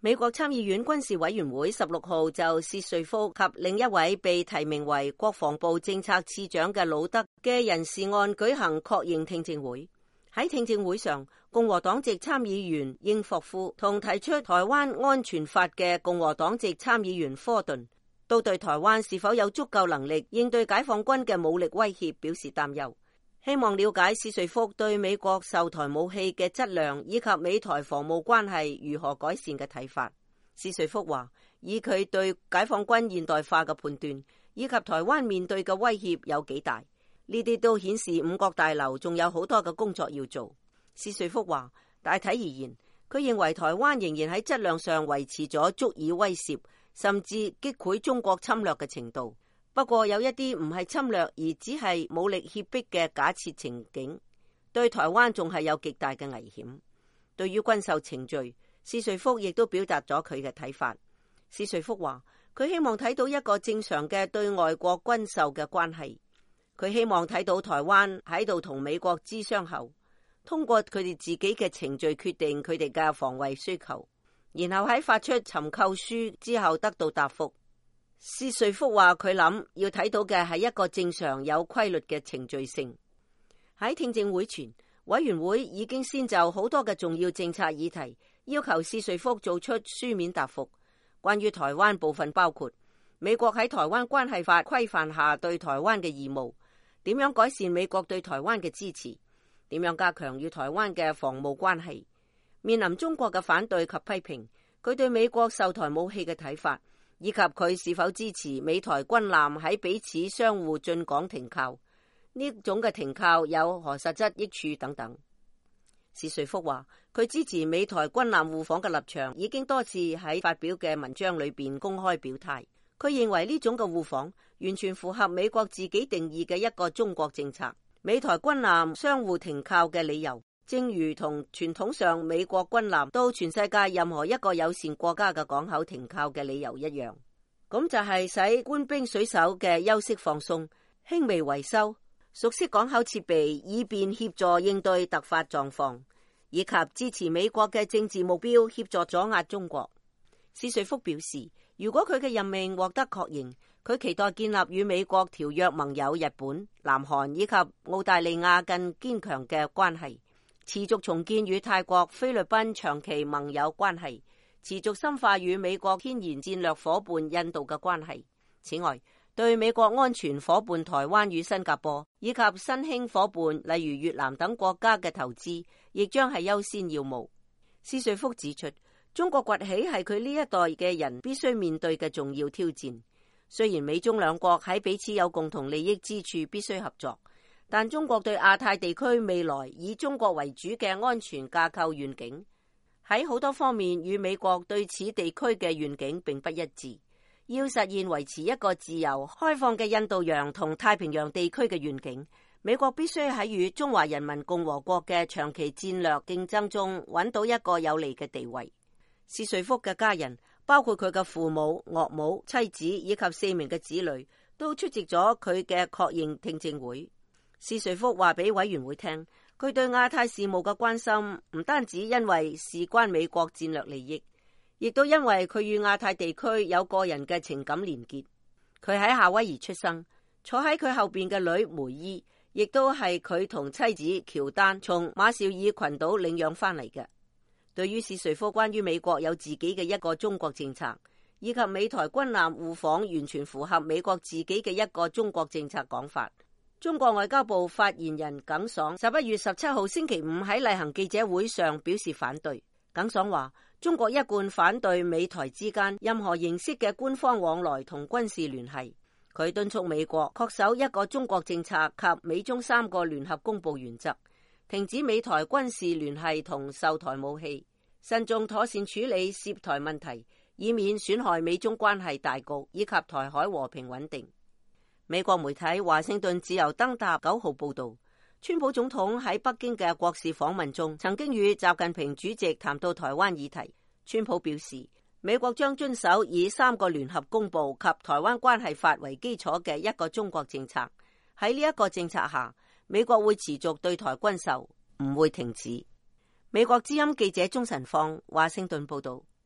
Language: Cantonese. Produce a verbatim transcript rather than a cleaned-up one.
美國參議院軍事委員會十六號就薛瑞福及另一位被提名為國防部政策次長嘅魯德嘅人事案舉行確認聽證會。喺聽證會上，共和黨籍參議員英霍夫同提出台灣安全法嘅共和黨籍參議員科頓都對台灣是否有足夠能力應對解放軍嘅武力威脅表示擔憂，希望了解薛瑞福對美國售台武器嘅質量以及美台防務關係如何改善嘅睇法。薛瑞福話，以佢對解放軍現代化嘅判斷以及台灣面對嘅威脅有幾大，呢啲都顯示五角大樓仲有好多嘅工作要做。薛瑞福話，大體而言，佢認為台灣仍然喺質量上維持咗足以威懾甚至擊潰中國侵略嘅程度。不過有一啲唔係侵略而只係武力脅迫嘅假設情景，對台灣仲係有極大嘅危險。對於軍售程序，薛瑞福亦都表達咗佢嘅睇法。薛瑞福話，佢希望睇到一個正常嘅對外國軍售嘅關係。佢希望睇到台灣喺度同美國諮商後，通過佢哋自己嘅程序決定佢哋嘅防衛需求，然後喺發出尋購書之後得到答覆。薛瑞福話，佢諗要睇到嘅係一個正常有規律嘅程序性。喺聽證會前，委員會已經先就好多嘅重要政策議題要求薛瑞福做出書面答覆。關於台灣部分包括美國喺台灣關係法規範下對台灣嘅義務，點樣改善美國對台灣嘅支持，點樣加強與台灣嘅防務關係，面臨中國嘅反對及批評，佢對美國售台武器嘅睇法，以及佢是否支持美台軍艦喺彼此相互進港停靠，呢種嘅停靠有何實質益處等等。薛瑞福話，佢支持美台軍艦互訪嘅立場已經多次喺發表嘅文章裏邊公開表態。佢認為呢種嘅互訪完全符合美國自己定義嘅一個中國政策。美台軍艦相互停靠嘅理由，正如同傳統上美國軍艦到全世界任何一個友善國家嘅港口停靠嘅理由一樣，咁就係使官兵水手嘅休息放鬆、輕微維修、熟悉港口設備以便協助應對突發狀況，以及支持美國嘅政治目標，協助阻壓中國。薛瑞福表示，如果佢嘅任命獲得確認，佢期待建立與美國條約盟友日本、南韓以及澳大利亞更堅強嘅關係，持續重建與泰國、菲律賓長期盟友關係，持續深化與美國天然戰略夥伴印度嘅關係。此外，對美國安全夥伴台灣與新加坡以及新興夥伴例如越南等國家嘅投資，亦將係優先要務。薛瑞福指出，中國崛起係佢呢一代嘅人必須面對嘅重要挑戰。雖然美中兩國喺彼此有共同利益之處，必須合作，但中國對亞太地區未來以中國為主嘅安全架構願景，喺好多方面與美國對此地區嘅願景並不一致。要實現維持一個自由開放嘅印度洋同太平洋地區嘅願景，美國必須喺與中華人民共和國嘅長期戰略競爭中揾到一個有利嘅地位。薛瑞福嘅家人，包括佢嘅父母、岳母、妻子以及四名嘅子女，都出席咗佢嘅確認聽證會。薛瑞福話俾委員會聽，佢對亞太事務嘅關心唔單止因為事關美國戰略利益，亦都因為佢與亞太地區有個人嘅情感連結。佢喺夏威夷出生，坐喺佢後邊嘅女梅伊，亦都係佢同妻子喬丹從馬紹爾群島領養翻嚟嘅。對於薛瑞福關於美國有自己嘅一個中國政策，以及美台軍艦互訪完全符合美國自己嘅一個中國政策講法，中國外交部發言人耿爽十一月十七號星期五喺例行記者會上表示反對。耿爽話，中國一貫反對美台之間任何形式嘅官方往來同軍事聯繫。佢敦促美國恪守一個中國政策及美中三個聯合公報原則，停止美台軍事聯繫同售台武器，慎重妥善處理涉台問題，以免損害美中關係大局以及台海和平穩定。美國媒體華盛頓自由登塔九號報道，川普總統喺北京嘅國事訪問中，曾經與習近平主席談到台灣議題。川普表示，美國將遵守以三個聯合公報及台灣關係法為基礎嘅一個中國政策。喺呢一個政策下，美國會持續對台軍售，唔會停止。美國之音記者鍾晨放華盛頓報道。